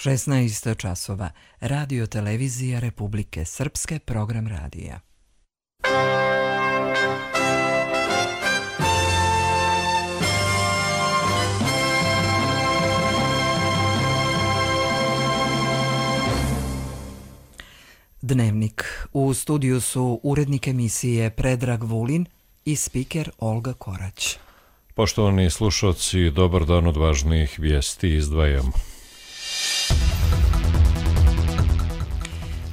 16 časova. Radio televizija Republike Srpske, program radija. Dnevnik. U studiju su urednik emisije Predrag Vulin i spiker Olga Korać. Poštovani slušalci, dobar dan, od važnijih vijesti izdvajamo.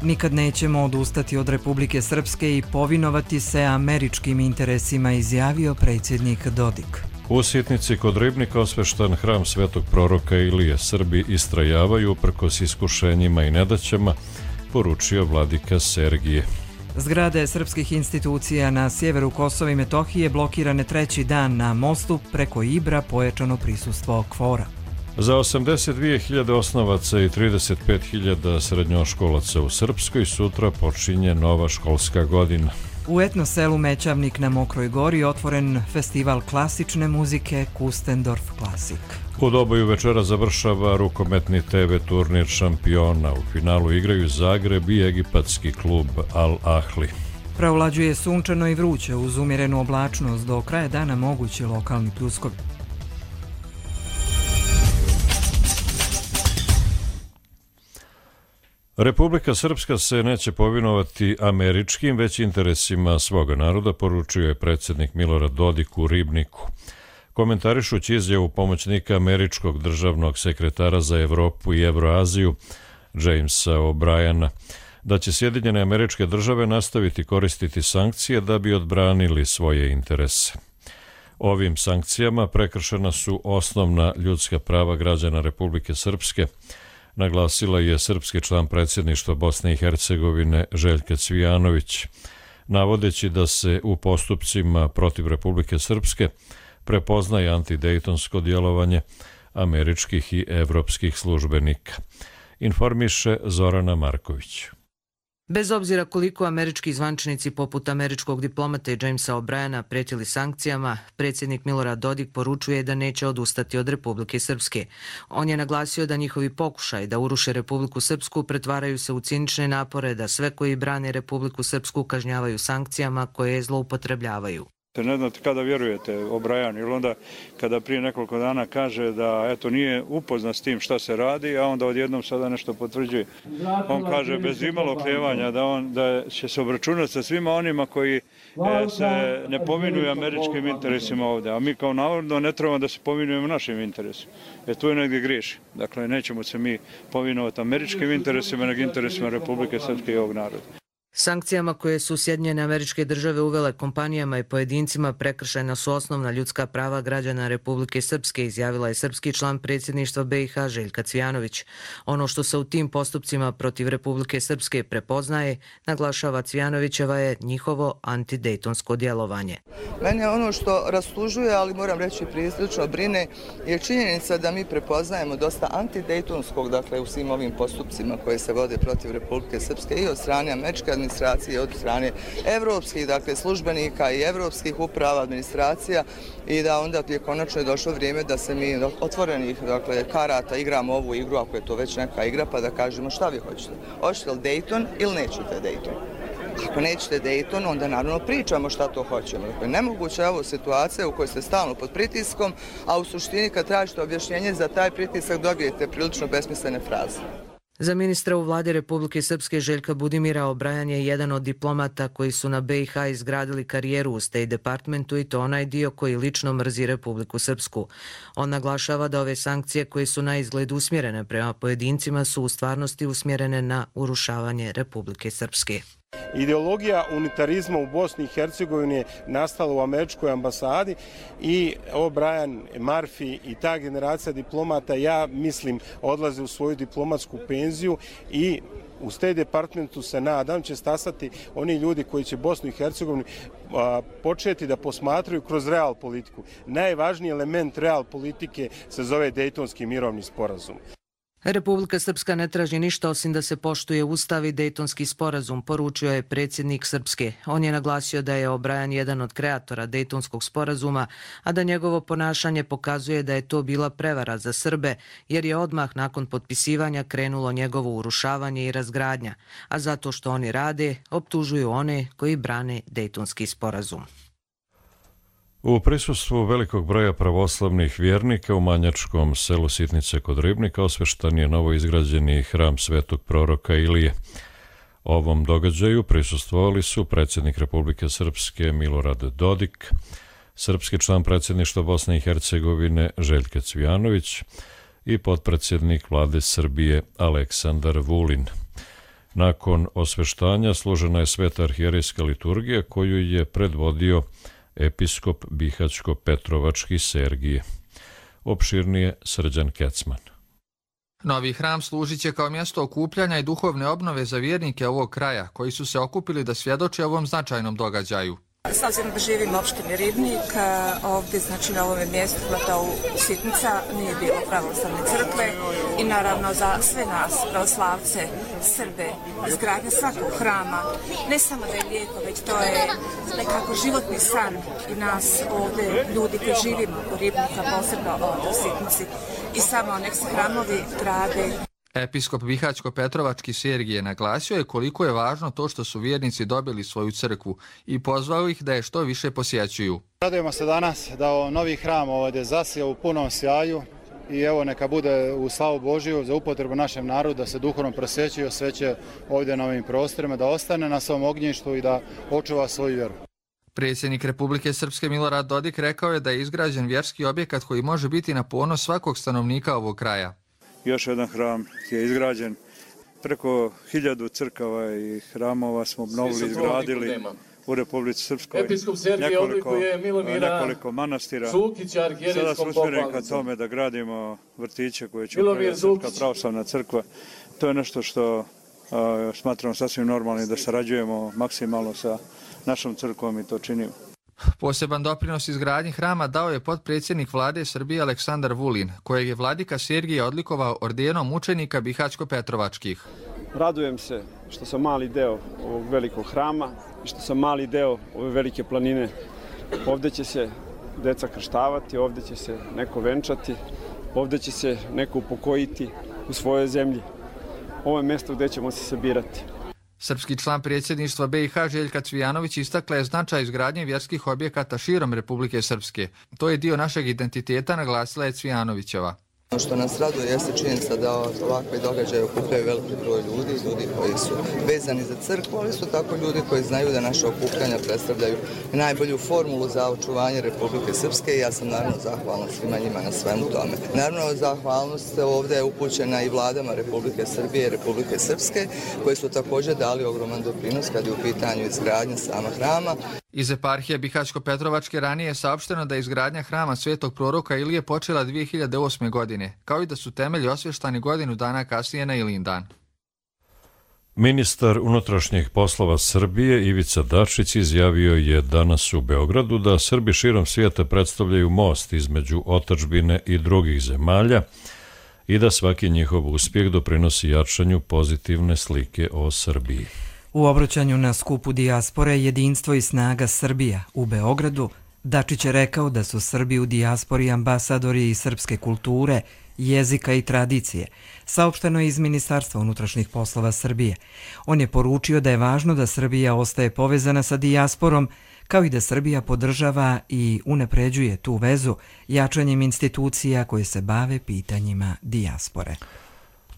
Nikad nećemo odustati od Republike Srpske i povinovati se američkim interesima, izjavio predsjednik Dodik. U Sitnici kod Ribnika osveštan hram svetog proroka Ilije. Srbi istrajavaju uprkos iskušenjima i nedaćama, poručio vladika Sergije. Zgrade srpskih institucija na sjeveru Kosova i Metohije blokirane treći dan. Na mostu preko Ibra pojačano prisustvo kvora. Za 82.000 osnovaca i 35.000 srednjoškolaca u Srpskoj sutra počinje nova školska godina. U etno selu Mećavnik na Mokroj gori otvoren festival klasične muzike Kustendorf Klasik. U Doboju večera završava rukometni TV turnir šampiona. U finalu igraju Zagreb i egipatski klub Al Ahli. Preovlađuje sunčano i vruće uz umjerenu oblačnost, do kraja dana mogući lokalni pljuskovi. Republika Srpska se neće povinovati američkim, već interesima svoga naroda, poručio je predsjednik Milorad Dodik u Ribniku. Komentarišući izjavu pomoćnika američkog državnog sekretara za Evropu i Evroaziju, Jamesa O'Briana, da će Sjedinjene Američke Države nastaviti koristiti sankcije da bi odbranili svoje interese. Ovim sankcijama prekršena su osnovna ljudska prava građana Republike Srpske, naglasila je srpski član predsjedništva Bosne i Hercegovine Željka Cvijanović, navodeći da se u postupcima protiv Republike Srpske prepoznaje antidejtonsko djelovanje američkih i evropskih službenika. Informiše Zorana Marković. Bez obzira koliko američki zvaničnici poput američkog diplomata Jamesa O'Briana prijetili sankcijama, predsjednik Milorad Dodik poručuje da neće odustati od Republike Srpske. On je naglasio da njihovi pokušaj da uruše Republiku Srpsku pretvaraju se u cinične napore da sve koji brane Republiku Srpsku kažnjavaju sankcijama koje je zloupotrebljavaju. Ne znate kada vjerujete O'Brian, ili onda kada prije nekoliko dana kaže da eto nije upoznat s tim šta se radi, a onda odjednom sada nešto potvrđuje. On kaže bez imalo oklijevanja da će se obračunati sa svima onima koji se ne povinuju američkim interesima ovdje, a mi kao navodno ne trebamo da se povinujemo našim interesima. Tu je negdje griješi. Dakle, nećemo se mi povinovati američkim interesima, nego interesima Republike Srpske i ovog naroda. Sankcijama koje su Sjedinjene Američke Države uvele kompanijama i pojedincima prekršena su osnovna ljudska prava građana Republike Srpske, izjavila je srpski član predsjedništva BiH Željka Cvijanović. Ono što se u tim postupcima protiv Republike Srpske prepoznaje, naglašava Cvijanovićeva, je njihovo antidejtonsko djelovanje. Mene ono što rastužuje, ali moram reći prilično brine, je činjenica da mi prepoznajemo dosta antidejtonskog, dakle u svim ovim postupcima koje se vode protiv Republike Srpske i od strane američke administracije, od strane evropskih, dakle, službenika i evropskih uprava, administracija, i da onda je konačno došlo vrijeme da se mi otvorenih, dakle, karata igramo ovu igru, ako je to već neka igra, pa da kažemo šta vi hoćete. Hoćete li Dayton ili nećete Dayton? Ako nećete Dayton, onda naravno pričamo šta to hoćemo. Dakle, nemoguća je ovo situacija u kojoj ste stalno pod pritiskom, a u suštini kad tražite objašnjenje za taj pritisak dobijete prilično besmislene fraze. Za ministra u vladi Republike Srpske Željka Budimira, O'Brian je jedan od diplomata koji su na BiH izgradili karijeru u State Departmentu, i to onaj dio koji lično mrzi Republiku Srpsku. On naglašava da ove sankcije koje su na izgled usmjerene prema pojedincima su u stvarnosti usmjerene na urušavanje Republike Srpske. Ideologija unitarizma u Bosni i Hercegovini je nastala u američkoj ambasadi i O'Brian, Murphy i ta generacija diplomata, ja mislim, odlaze u svoju diplomatsku penziju i u State Departmentu se nadam će stasati oni ljudi koji će Bosnu i Hercegovinu početi da posmatraju kroz real politiku. Najvažniji element real politike se zove Dejtonski mirovni sporazum. Republika Srpska ne traži ništa osim da se poštuje Ustav i Dejtonski sporazum, poručio je predsjednik Srpske. On je naglasio da je O'Brien jedan od kreatora Dejtonskog sporazuma, a da njegovo ponašanje pokazuje da je to bila prevara za Srbe, jer je odmah nakon potpisivanja krenulo njegovo urušavanje i razgradnja, a zato što oni rade, optužuju one koji brane Dejtonski sporazum. U prisustvu velikog broja pravoslavnih vjernika u manjačkom selu Sitnice kod Ribnika osveštan je novo izgrađeni hram svetog proroka Ilije. Ovom događaju prisustvovali su predsjednik Republike Srpske Milorad Dodik, srpski član predsjedništva Bosne i Hercegovine Željko Cvijanović i potpredsjednik vlade Srbije Aleksandar Vulin. Nakon osveštanja služena je sveta arhijerejska liturgija koju je predvodio episkop Bihaćko-Petrovački Sergije. Opširnije Srđan Kecman. Novi hram služit će kao mjesto okupljanja i duhovne obnove za vjernike ovog kraja, koji su se okupili da svjedoče ovom značajnom događaju. S obzirom da živim u opštini Ribnik, ovdje znači na ovom mjestu kvartalu Sitnica nije bilo pravoslavne crkve i naravno za sve nas, pravoslavce, Srbe, izgradnja svakog hrama, ne samo da je lijepo, već to je nekako životni san i nas ovdje, ljudi koji živimo u Ribnika, posebno ovdje u Sitnici, i samo nek se hramovi grade. Episkop Bihaćko-Petrovački Sergije naglasio je koliko je važno to što su vjernici dobili svoju crkvu i pozvao ih da je što više posjećuju. Radujemo se danas da novi hram ovdje zasija u punom sjaju i evo neka bude u slavu Božiju za upotrebu našem narodu da se duhovno prosveći i osveće ovdje na ovim prostorima, da ostane na svom ognjištu i da očuva svoju vjeru. Predsjednik Republike Srpske Milorad Dodik rekao je da je izgrađen vjerski objekat koji može biti na ponos svakog stanovnika ovog kraja. Još jedan hram je izgrađen. Preko 1000 crkava i hramova smo obnovili, izgradili u Republici Srpskoj. Episkop Sergije odlikuje Milomira nekoliko manastira. Zukića, arhijerejskom Sada smo usmjereni ka popalnicom. tome da gradimo vrtiće koje će upravljati Srpska pravoslavna crkva. To je nešto što smatramo sasvim normalnim, da sarađujemo maksimalno sa našom crkvom i to činimo. Poseban doprinos izgradnji hrama dao je potpredsjednik vlade Srbije Aleksandar Vulin, kojeg je vladika Sergije odlikovao ordenom mučenika Bihaćko-Petrovačkih. Radujem se što sam mali deo ovog velikog hrama i što sam mali deo ove velike planine. Ovdje će se deca krštavati, ovdje će se neko venčati, ovdje će se neko upokojiti u svojoj zemlji. Ovo je mjesto gdje ćemo se sabirati. Srpski član predsjedništva BiH Željka Cvijanović istakla je značaj izgradnje vjerskih objekata širom Republike Srpske. To je dio našeg identiteta, naglasila je Cvijanovićeva. Ono što nas raduje jeste činjenica da ovakve događaje okupljaju veliki broj ljudi koji su vezani za crkvu, ali su tako ljudi koji znaju da naše okupljanja predstavljaju najbolju formulu za očuvanje Republike Srpske i ja sam naravno zahvalna svima njima na svemu tome. Naravno, zahvalnost ovdje je upućena i vladama Republike Srbije i Republike Srpske, koje su također dali ogroman doprinos kad je u pitanju izgradnja sama hrama. Iz eparhije Bihaćko-Petrovačke ranije je saopšteno da je izgradnja hrama svetog proroka Ilije počela 2008. godine, kao i da su temelji osvještani godinu dana kasnije na Ilindan. Ministar unutrašnjih poslova Srbije Ivica Dačić izjavio je danas u Beogradu da Srbi širom svijeta predstavljaju most između otadžbine i drugih zemalja i da svaki njihov uspjeh doprinosi jačanju pozitivne slike o Srbiji. U obraćanju na skupu dijaspore Jedinstvo i snaga Srbija u Beogradu, Dačić je rekao da su Srbi u dijaspori ambasadori i srpske kulture, jezika i tradicije, saopšteno je iz Ministarstva unutrašnjih poslova Srbije. On je poručio da je važno da Srbija ostaje povezana sa dijasporom, kao i da Srbija podržava i unapređuje tu vezu jačanjem institucija koje se bave pitanjima dijaspore.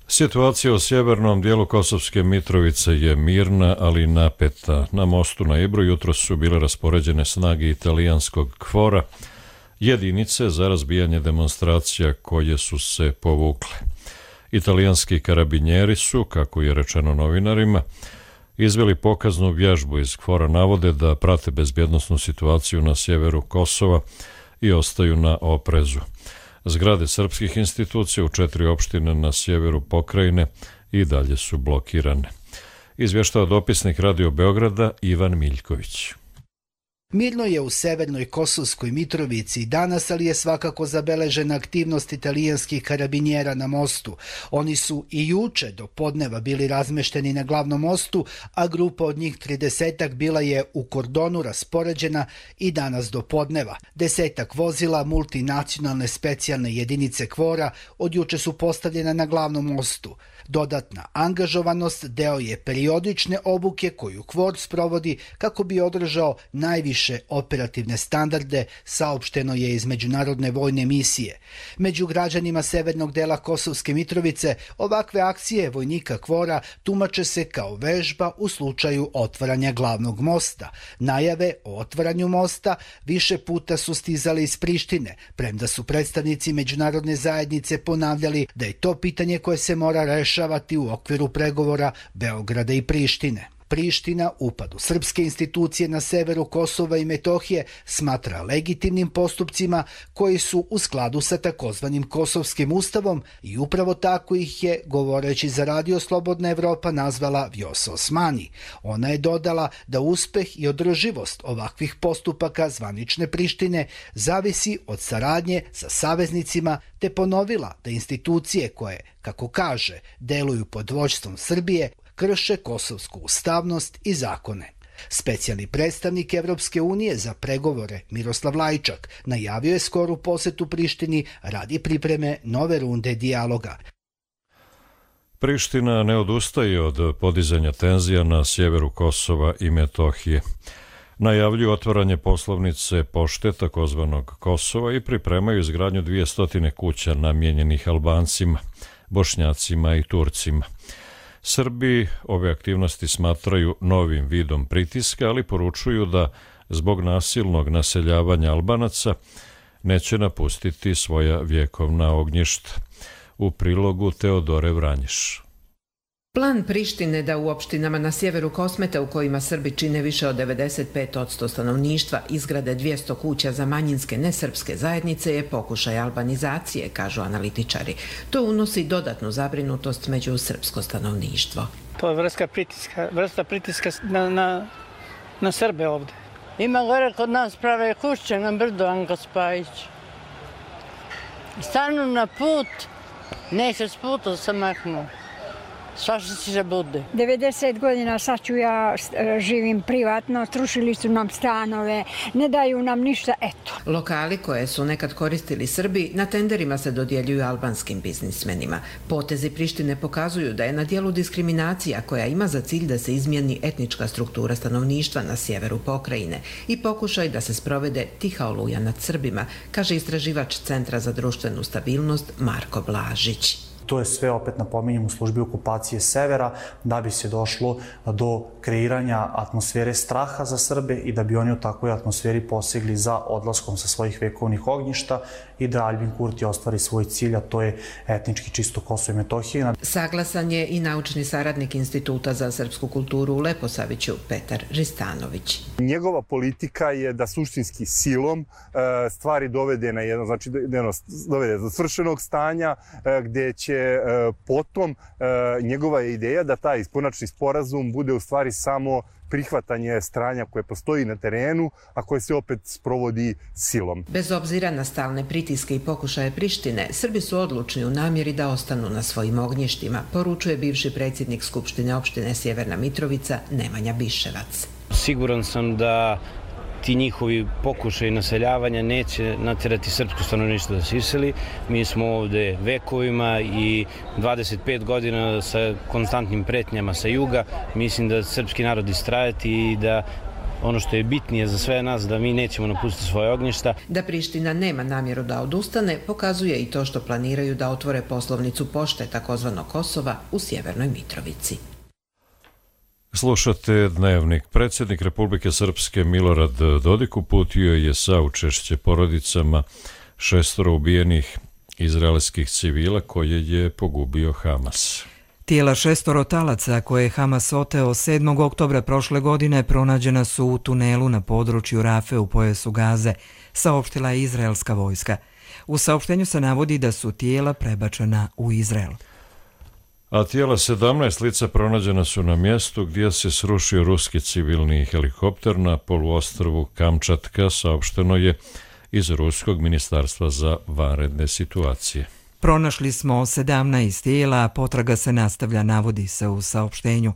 Situacija u sjevernom dijelu Kosovske Mitrovice je mirna, ali napeta. Na mostu na Ibru jutros su bile raspoređene snage italijanskog KFOR-a, jedinice za razbijanje demonstracija koje su se povukle. Italijanski karabinjeri su, kako je rečeno novinarima, izveli pokaznu vježbu iz KFOR-a, navode da prate bezbjednosnu situaciju na sjeveru Kosova i ostaju na oprezu. Zgrade srpskih institucija u 4 opštine na sjeveru pokrajine i dalje su blokirane. Izvještava dopisnik Radio Beograda Ivan Miljković. Mirno je u severnoj Kosovskoj Mitrovici danas, ali je svakako zabeležena aktivnost italijanskih karabinjera na mostu. Oni su i juče do podneva bili razmešteni na glavnom mostu, a grupa od njih 30-ak bila je u kordonu raspoređena i danas do podneva. 10-ak vozila multinacionalne specijalne jedinice KFOR-a od juče su postavljena na glavnom mostu. Dodatna angažovanost deo je periodične obuke koju KFOR sprovodi kako bi održao najviše operativne standarde, saopšteno je iz Međunarodne vojne misije. Među građanima severnog dela Kosovske Mitrovice ovakve akcije vojnika KFOR-a tumače se kao vežba u slučaju otvaranja glavnog mosta. Najave o otvaranju mosta više puta su stizale iz Prištine, premda su predstavnici međunarodne zajednice ponavljali da je to pitanje koje se mora rešavati u okviru pregovora Beograda i Prištine. Priština upad u srpske institucije na severu Kosova i Metohije smatra legitimnim postupcima koji su u skladu sa takozvanim Kosovskim ustavom i upravo tako ih je, govoreći za Radio Slobodna Evropa, nazvala Vjosa Osmani. Ona je dodala da uspeh i održivost ovakvih postupaka zvanične Prištine zavisi od saradnje sa saveznicima, te ponovila da institucije koje, kako kaže, deluju pod vođstvom Srbije, krše kosovsku ustavnost i zakone. Specijalni predstavnik Evropske unije za pregovore Miroslav Lajčak najavio je skoru posetu Prištini radi pripreme nove runde dijaloga. Priština ne odustaje od podizanja tenzija na sjeveru Kosova i Metohije. Najavljuju otvaranje poslovnice pošte takozvanog Kosova i pripremaju izgradnju 200 kuća namijenjenih Albancima, Bošnjacima i Turcima. Srbi ove aktivnosti smatraju novim vidom pritiska, ali poručuju da zbog nasilnog naseljavanja Albanaca neće napustiti svoja vjekovna ognjišta. U prilogu Teodore Vranješ. Plan Prištine da u opštinama na sjeveru Kosmeta, u kojima Srbi čine više od 95% stanovništva, izgrade 200 kuća za manjinske nesrpske zajednice je pokušaj albanizacije, kažu analitičari. To unosi dodatnu zabrinutost među srpsko stanovništvo. To je vrsta pritiska na Srbe ovde. Ima gore kod nas prave kuće na brdu, Anko Spajić. Stanu na put, neće s puta se maknu. Svašta će se bude. 90 godina sad ću ja živim privatno, srušili su nam stanove, ne daju nam ništa, eto. Lokali koje su nekad koristili Srbi na tenderima se dodjeljuju albanskim biznismenima. Potezi Prištine pokazuju da je na dijelu diskriminacija koja ima za cilj da se izmijeni etnička struktura stanovništva na sjeveru pokrajine i pokušaj da se sprovede tiha oluja nad Srbima, kaže istraživač Centra za društvenu stabilnost Marko Blažić. To je sve, opet napominjem, u službi okupacije severa, da bi se došlo do kreiranja atmosfere straha za Srbe i da bi oni u takvoj atmosferi posegli za odlaskom sa svojih vekovnih ognjišta i da Aljbin Kurti ostvari svoj cilj, a to je etnički čisto Kosovo i Metohija. Saglasan je i naučni saradnik Instituta za srpsku kulturu u Leposaviću, Petar Ristanović. Njegova politika je da suštinski silom stvari dovede na jedno, znači dovede do svršenog stanja, gde će potom njegova je ideja da taj konačni sporazum bude u stvari samo prihvatanje stranja koje postoji na terenu, a koje se opet sprovodi silom. Bez obzira na stalne pritiske i pokušaje Prištine, Srbi su odlučni u namjeri da ostanu na svojim ognjištima, poručuje bivši predsjednik Skupštine opštine Sjeverna Mitrovica Nemanja Biševac. Siguran sam da ti njihovi pokušaj naseljavanja neće natjerati srpsko stanovništvo da se iseli. Mi smo ovde vekovima i 25 godina sa konstantnim pretnjama sa juga. Mislim da srpski narod istrajati i da ono što je bitnije za sve nas, da mi nećemo napustiti svoje ognjišta. Da Priština nema namjeru da odustane, pokazuje i to što planiraju da otvore poslovnicu pošte takozvanog Kosova u Sjevernoj Mitrovici. Slušate Dnevnik. Predsjednik Republike Srpske Milorad Dodik uputio je saučešće porodicama 6 ubijenih izraelskih civila koje je pogubio Hamas. Tijela 6 talaca koje je Hamas oteo 7. oktobra prošle godine pronađena su u tunelu na području Rafe u pojasu Gaze, saopštila je izraelska vojska. U saopštenju se navodi da su tijela prebačena u Izrael. A tijela 17 lica pronađena su na mjestu gdje se srušio ruski civilni helikopter na poluostrvu Kamčatka, saopšteno je iz Ruskog ministarstva za vanredne situacije. Pronašli smo 17 tijela, a potraga se nastavlja, navodi se u saopštenju.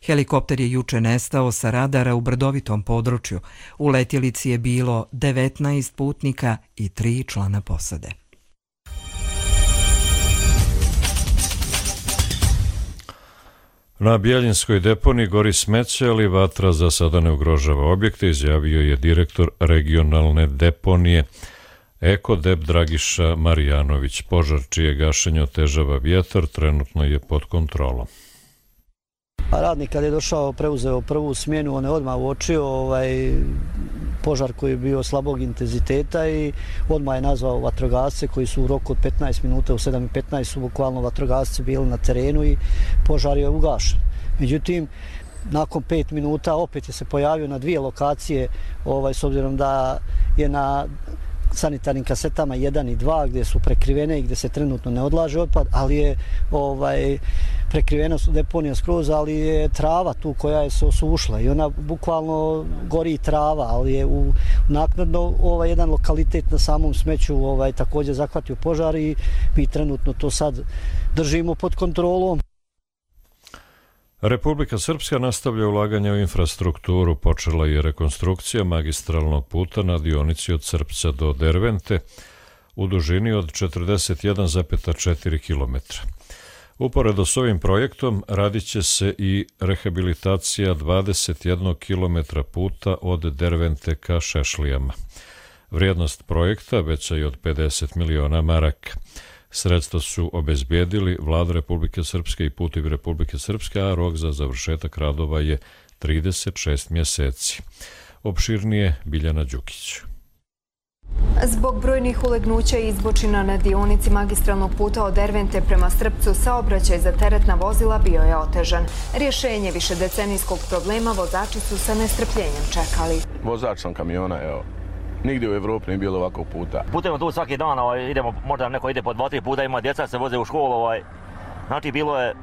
Helikopter je juče nestao sa radara u brdovitom području. U letjelici je bilo 19 putnika i 3 člana posade. Na Bjeljinskoj deponiji gori smeće, ali vatra za sada ne ugrožava objekte, izjavio je direktor regionalne deponije Ekodep Dragiša Marijanović. Požar čije gašenje otežava vjetar trenutno je pod kontrolom. Radnik kad je došao, preuzeo prvu smjenu, on je odmah uočio požar koji je bio slabog intenziteta i odmah je nazvao vatrogasce koji su u roku od 15 minuta, u 7:15 su bukvalno vatrogasci bili na terenu i požar je ugašen. Međutim, nakon 5 minuta opet je se pojavio na 2 lokacije, s obzirom da je na sanitarnim kasetama 1 i 2 gdje su prekrivene i gdje se trenutno ne odlaže otpad, ali je prekrivena su deponija skroz, ali je trava tu koja je se osušla i ona bukvalno gori trava, ali je naknadno jedan lokalitet na samom smeću također zahvatio požar i mi trenutno to sad držimo pod kontrolom. Republika Srpska nastavlja ulaganje u infrastrukturu. Počela je rekonstrukcija magistralnog puta na dionici od Srpca do Dervente u dužini od 41,4 km. Uporedo s ovim projektom radit će se i rehabilitacija 21 km puta od Dervente ka Šešlijama. Vrijednost projekta veća je od 50 miliona maraka. Sredstva su obezbijedili Vlada Republike Srpske i Putevi Republike Srpske, a rok za završetak radova je 36 mjeseci. Opširnije Biljana Đukić. Zbog brojnih ulegnuća i izbočina na dionici magistralnog puta od Dervente prema Srpcu saobraćaj za teretna vozila bio je otežan. Rješenje višedecenijskog problema vozači su sa nestrpljenjem čekali. Vozač sam kamiona, evo. Nigdje u Evropi nije bilo ovakvog puta. Putujemo tu svaki dan, idemo, možda neko ide po 2-3 puta, ima djeca se voze u školu, znači bilo je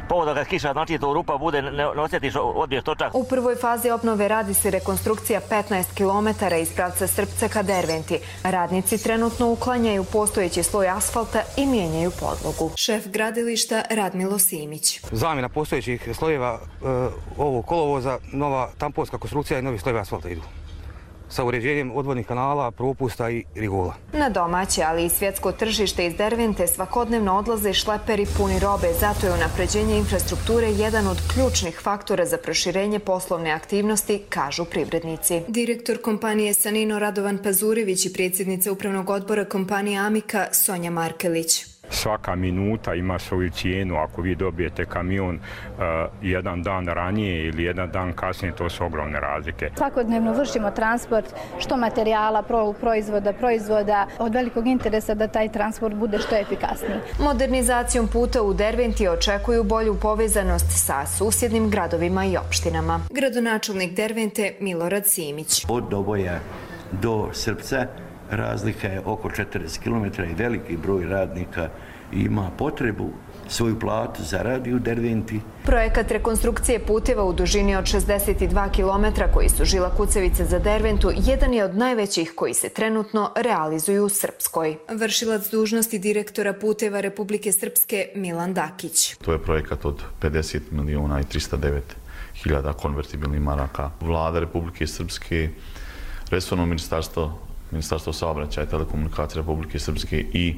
povoda kad kiša, znači to rupa bude, ne osjetiš, odbiješ točak. U prvoj fazi obnove radi se rekonstrukcija 15 km iz pravca Srpca ka Derventi. Radnici trenutno uklanjaju postojeći sloj asfalta i mijenjaju podlogu. Šef gradilišta Radmilo Simić. Zamjena postojećih slojeva ovog kolovoza, nova tamponska konstrukcija i novi slojevi asfalta idu sa uređenjem odvodnih kanala, propusta i rigola. Na domaće, ali i svjetsko tržište iz Dervente svakodnevno odlaze šleperi puni robe, zato je unapređenje infrastrukture jedan od ključnih faktora za proširenje poslovne aktivnosti, kažu privrednici. Direktor kompanije Sanino Radovan Pazurević i predsjednica upravnog odbora kompanije Amika Sonja Markelić. Svaka minuta ima svoju cijenu. Ako vi dobijete kamion jedan dan ranije ili jedan dan kasnije, to su ogromne razlike. Svakodnevno vršimo transport što materijala, proizvoda, od velikog interesa da taj transport bude što efikasniji. Modernizacijom puta u Derventi očekuju bolju povezanost sa susjednim gradovima i opštinama. Gradonačelnik Dervente Milorad Simić. Od Doboja do Srpca razlika je oko 40 km i veliki broj radnika ima potrebu svoju platu zaradi u Derventi. Projekat rekonstrukcije puteva u dužini od 62 km koji su žila kucavice za Derventu jedan je od najvećih koji se trenutno realizuju u Srpskoj. Vršilac dužnosti direktora puteva Republike Srpske Milan Dakić. To je projekat od 50 miliona i 309 hiljada konvertibilnih maraka. Vlada Republike Srpske, resorno Ministarstvo saobraćaja i telekomunikacije Republike Srpske i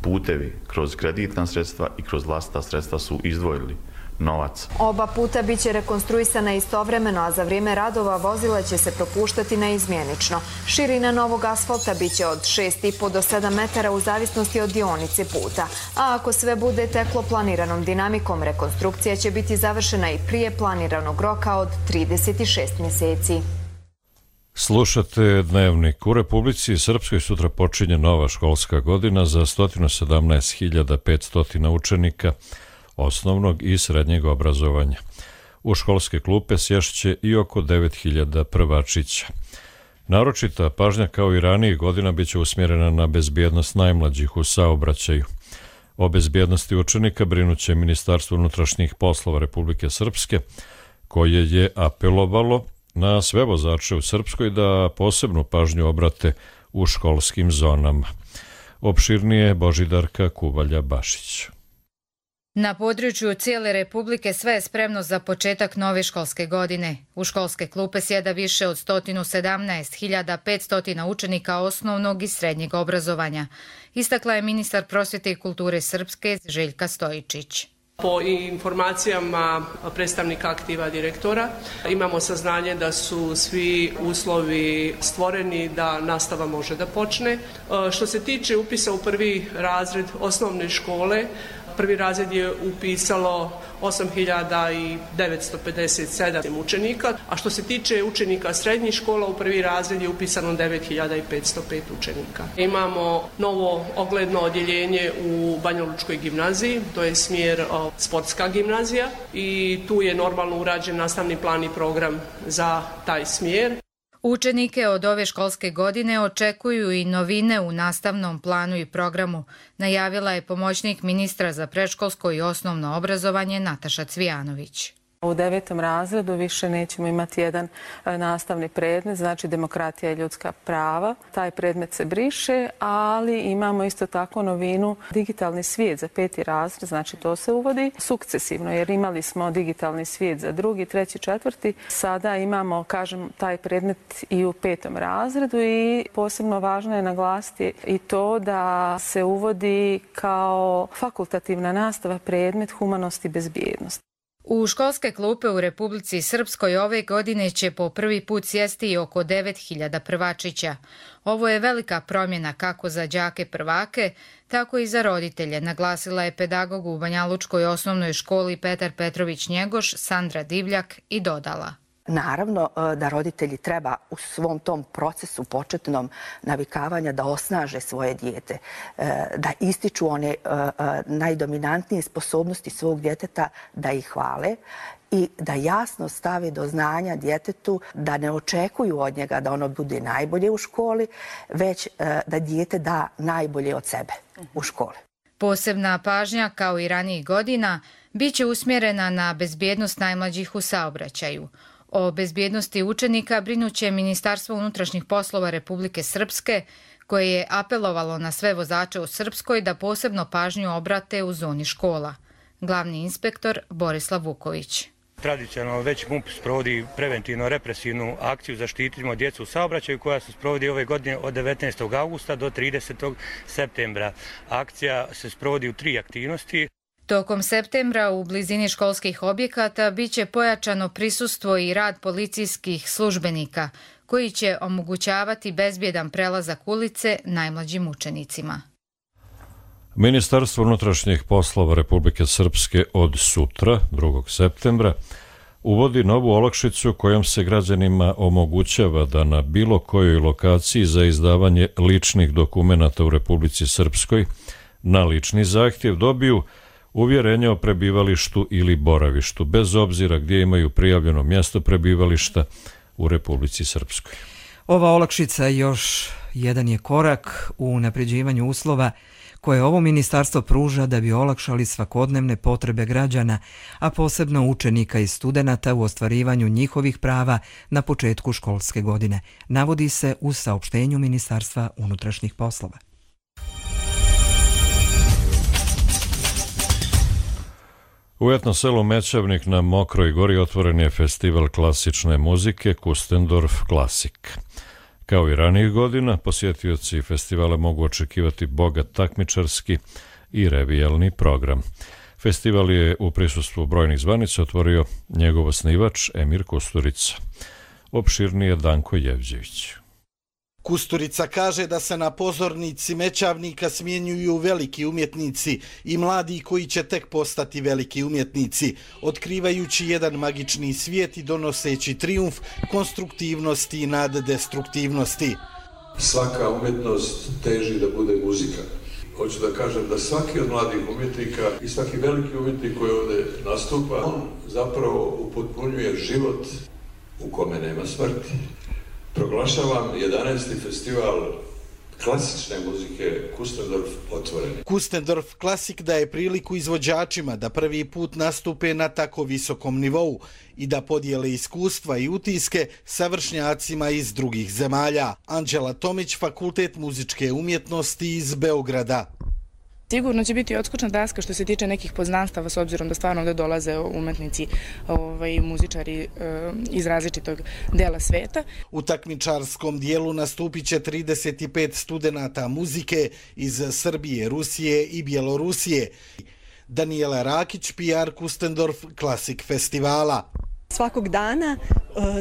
putevi kroz kreditna sredstva i kroz vlastita sredstva su izdvojili novac. Oba puta biće rekonstruisana istovremeno, a za vrijeme radova vozila će se propuštati neizmjenično. Širina novog asfalta biće od 6,5 do 7 metara u zavisnosti od dionice puta. A ako sve bude teklo planiranom dinamikom, rekonstrukcija će biti završena i prije planiranog roka od 36 mjeseci. Slušate Dnevnik. U Republici Srpskoj sutra počinje nova školska godina za 117.500 učenika osnovnog i srednjeg obrazovanja. U školske klupe sješće i oko 9.000 prvačića. Naročita pažnja kao i ranijih godina biće usmjerena na bezbjednost najmlađih u saobraćaju. O bezbjednosti učenika brinuće Ministarstvo unutrašnjih poslova Republike Srpske, koje je apelovalo na sve vozače u Srpskoj da posebnu pažnju obrate u školskim zonama. Opširnije Božidarka Kubalja-Bašić. Na području cijele Republike sve je spremno za početak nove školske godine. U školske klupe sjeda više od 117.500 učenika osnovnog i srednjeg obrazovanja, istakla je ministar prosvjete i kulture Srpske Željka Stojičić. Po informacijama predstavnika aktiva direktora imamo saznanje da su svi uslovi stvoreni da nastava može da počne. Što se tiče upisa u prvi razred osnovne škole, prvi razred je upisalo 8.957 učenika, a što se tiče učenika srednjih škola, u prvi razred je upisano 9.505 učenika. Imamo novo ogledno odjeljenje u Banjalučkoj gimnaziji, to je smjer sportska gimnazija i tu je normalno urađen nastavni plan i program za taj smjer. Učenike od ove školske godine očekuju i novine u nastavnom planu i programu, najavila je pomoćnik ministra za predškolsko i osnovno obrazovanje Nataša Cvijanović. U 9. razredu više nećemo imati jedan nastavni predmet, znači demokratija i ljudska prava. Taj predmet se briše, ali imamo isto tako novinu digitalni svijet za 5. razred, znači to se uvodi sukcesivno, jer imali smo digitalni svijet za 2., 3., 4. Sada imamo, kažem, taj predmet i u 5. razredu i posebno važno je naglasiti i to da se uvodi kao fakultativna nastava predmet humanost i bezbjednost. U školske klupe u Republici Srpskoj ove godine će po prvi put sjesti oko 9.000 prvačića. Ovo je velika promjena kako za đake prvake, tako i za roditelje, naglasila je pedagog u Banjalučkoj osnovnoj školi Petar Petrović Njegoš, Sandra Divljak i dodala. Naravno da roditelji treba u svom tom procesu početnom navikavanja da osnaže svoje dijete, da ističu one najdominantnije sposobnosti svog djeteta, da ih hvale i da jasno stave do znanja djetetu da ne očekuju od njega da ono bude najbolje u školi, već da dijete da najbolje od sebe u školi. Posebna pažnja, kao i ranijih godina, bit će usmjerena na bezbjednost najmlađih u saobraćaju. O bezbjednosti učenika brinuće Ministarstvo unutrašnjih poslova Republike Srpske, koje je apelovalo na sve vozače u Srpskoj da posebno pažnju obrate u zoni škola. Glavni inspektor Borislav Vuković. Tradicionalno već MUP sprovodi preventivno-represivnu akciju Zaštitimo djecu u saobraćaju koja se sprovodi ove godine od 19. augusta do 30. septembra. Akcija se sprovodi u 3 aktivnosti. Tokom septembra u blizini školskih objekata bit će pojačano prisustvo i rad policijskih službenika, koji će omogućavati bezbjedan prelazak ulice najmlađim učenicima. Ministarstvo unutrašnjih poslova Republike Srpske od sutra, 2. septembra, uvodi novu olakšicu kojom se građanima omogućava da na bilo kojoj lokaciji za izdavanje ličnih dokumenata u Republici Srpskoj na lični zahtjev dobiju uvjerenje o prebivalištu ili boravištu, bez obzira gdje imaju prijavljeno mjesto prebivališta u Republici Srpskoj. Ova olakšica još jedan je korak u unapređivanju uslova koje ovo ministarstvo pruža da bi olakšali svakodnevne potrebe građana, a posebno učenika i studenata u ostvarivanju njihovih prava na početku školske godine, navodi se u saopštenju Ministarstva unutrašnjih poslova. U etno selu Mećavnik na Mokroj gori otvoren je festival klasične muzike Kustendorf Klasik. Kao i ranijih godina, posjetioci festivala mogu očekivati bogat takmičarski i revijalni program. Festival je u prisustvu brojnih zvanica otvorio njegov osnivač Emir Kusturica. Opširnije Danko Jevđević. Kusturica kaže da se na pozornici Mećavnika smjenjuju veliki umjetnici i mladi koji će tek postati veliki umjetnici, otkrivajući jedan magični svijet i donoseći trijumf konstruktivnosti i naddestruktivnosti. Svaka umjetnost teži da bude muzika. Hoću da kažem da svaki od mladih umjetnika i svaki veliki umjetnik koji ovdje nastupa, on zapravo upotpunjuje život u kome nema smrti. Proglašavam 11. festival klasične muzike Kustendorf otvoreni. Kustendorf Klasik daje priliku izvođačima da prvi put nastupe na tako visokom nivou i da podijele iskustva i utiske sa vršnjacima iz drugih zemalja. Anđela Tomić, Fakultet muzičke umjetnosti iz Beograda. Sigurno će biti odskočna daska što se tiče nekih poznanstava, s obzirom da stvarno ovdje dolaze umetnici i muzičari iz različitog dela sveta. U takmičarskom dijelu nastupit će 35 studenata muzike iz Srbije, Rusije i Bjelorusije. Daniela Rakić, PR Kustendorf Klasik festivala. Svakog dana,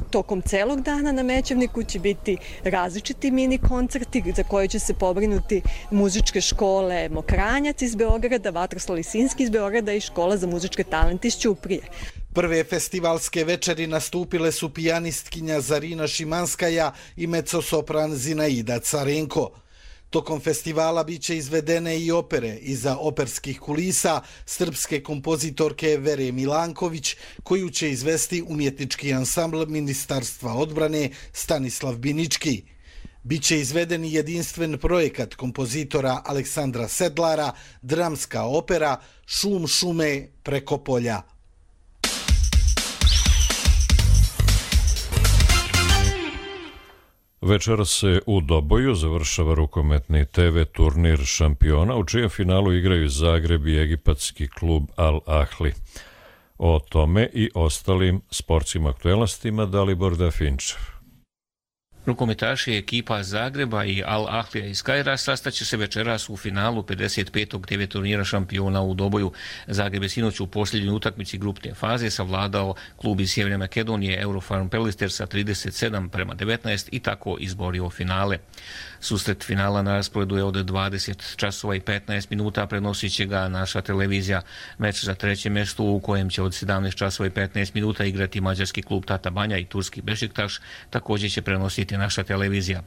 tokom celog dana na Mećevniku će biti različiti mini koncerti za koje će se pobrinuti muzičke škole Mokranjac iz Beograda, Vatroslav Lisinski iz Beograda i Škola za muzičke talente iz Ćuprije. Prve festivalske večeri nastupile su pijanistkinja Zarina Šimanskaja i mezzosopran Zinaida Carenko. Tokom festivala biće izvedene i opere iza operskih kulisa srpske kompozitorke Vere Milanković, koju će izvesti umjetnički ansambl Ministarstva odbrane Stanislav Binički. Biće izveden i jedinstven projekat kompozitora Aleksandra Sedlara, dramska opera Šum šume preko polja. Večera se u Doboju završava rukometni TV turnir šampiona, u čijem finalu igraju Zagreb i egipatski klub Al Ahli. O tome i ostalim sportskim aktuelnostima Dalibor Dafinčev. Rukometaši ekipa Zagreba i Al Ahlija iz Kaira sastaće se večeras u finalu 55. TV turnira šampiona u Doboju. Zagreb je sinoć u posljednjoj utakmici grupne faze savladao klub iz Sjeverne Makedonije Eurofarm Pelister sa 37:19 i tako izborio finale. Susret finala na rasporedu je od 20 časova i 15 minuta, prenosit će ga naša televizija. Meč za treće mjesto u kojem će od 17 časova i 15 minuta igrati mađarski klub Tata Banja i turski Bešiktaš također će prenositi naša televizija.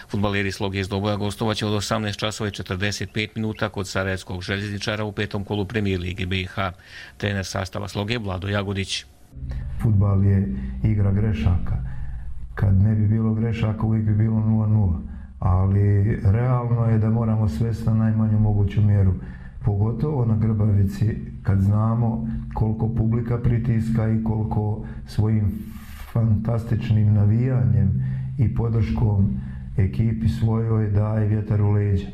Fudbaleri Sloge iz Doboja gostovaće od 18 časova i 45 minuta kod Sarajevskog željezničara u petom kolu Premijer Lige BiH. Trener sastava Sloge Vlado Jagodić. Fudbal je igra grešaka. Kad ne bi bilo grešaka uvijek bi bilo 0-0. Ali realno je da moramo svesti na najmanju moguću mjeru. Pogotovo na Grbavici kad znamo koliko publika pritiska i koliko svojim fantastičnim navijanjem i podrškom ekipi svojoj daje vjetar u leđa.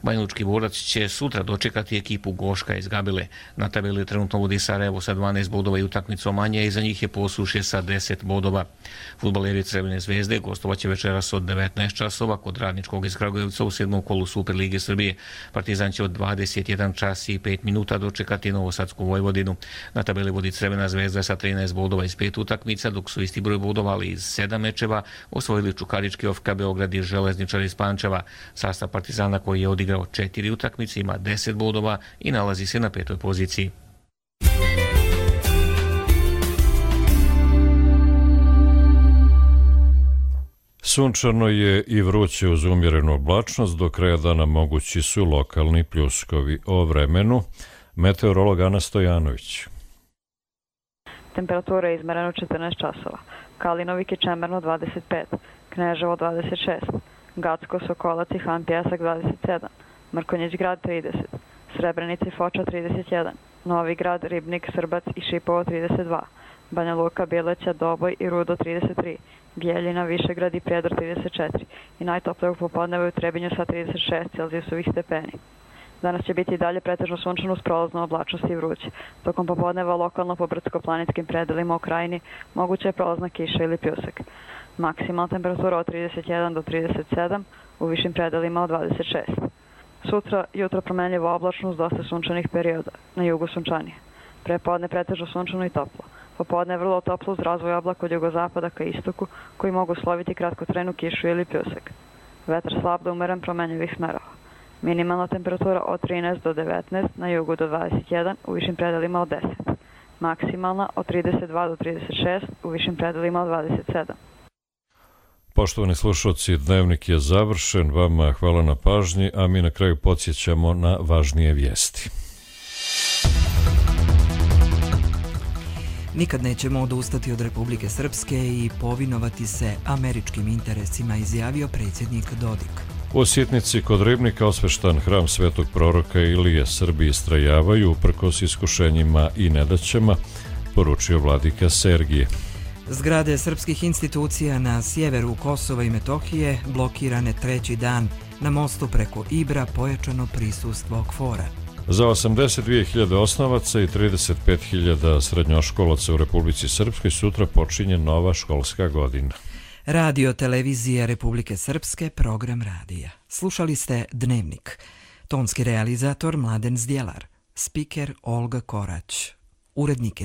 Banjalučki Borac će sutra dočekati ekipu Goška iz Gabile. Na tabeli trenutno vodi Sarajevo sa 12 bodova i utakmicom manje, iza njih je Posušje sa 10 bodova. Fudbaleri Crvene zvezde gostovaće večeras od 19 časova kod Radničkog iz Kragujevca u 7. kolu Super Lige Srbije. Partizan će od 21 čas i 5 minuta dočekati Novosadsku Vojvodinu. Na tabeli vodi Crvena zvezda sa 13 bodova iz 5 utakmica, dok su isti broj bodova, ali iz 7 mečeva osvojili Čukarički OFK Beograd i Železničar iz Pančeva. Sastav Partizana koji je odigrao 4 utakmice ima 10 bodova i nalazi se na 5. poziciji. Sunčano je i vruće uz umjerenu oblačnost, do kraja dana mogući su lokalni pljuskovi. O vremenu meteorolog Ana Stojanović. Temperatura je izmerena 14 časova. Kalinovik je čemerno 25, Kneževo 26, Gacko, Sokolac i Han Pjesak 27, Mrkonjić grad 30, Srebrenica i Foča 31, Novi grad, Ribnik, Srbac i Šipovo 32, Banja Luka, Bjeleća, Doboj i Rudo 33, Bijeljina, Višegrad i Prijedor 34 i najtoplije u popodnevu u Trebinju sa 36 Celzijusovih stepeni. Danas će biti i dalje pretežno sunčano uz prolaznu oblačnost i vruće. Tokom popodneva lokalno po brdsko-planinskim predelima u krajini moguće je prolazna kiša ili pljusak. Maksimalna temperatura od 31 do 37, u višim predelima od 26. Sutra jutro promenljivo oblačno uz dosta sunčanih perioda, na jugu sunčanije. Prepodne pretežno sunčano i toplo. Popodne je vrlo toplo uz razvoj oblaka od jugozapada ka istoku koji mogu sloviti kratkotrajnu kišu ili pljusak. Vetar slab do umeren promenljivih smerova. Minimalna temperatura od 13 do 19, na jugu do 21, u višim predelima od 10. Maksimalna od 32 do 36, u višim predelima od 27. Poštovani slušalci, dnevnik je završen, vama hvala na pažnji, a mi na kraju podsjećamo na važnije vijesti. Nikad nećemo odustati od Republike Srpske i povinovati se američkim interesima, izjavio predsjednik Dodik. U Sitnici kod Ribnika osveštan hram svetog proroka Ilije. Srbi istrajavaju uprkos iskušenjima i nedaćama, poručio vladika Sergije. Zgrade srpskih institucija na sjeveru Kosova i Metohije blokirane treći dan. Na mostu preko Ibra pojačano prisustvo KFOR-a. Za 82.000 osnovaca i 35.000 srednjoškolaca u Republici Srpskoj sutra počinje nova školska godina. Radio Televizija Republike Srpske, program radija. Slušali ste Dnevnik. Tonski realizator Mladen Zdjelar. Spiker Olga Korać. Urednik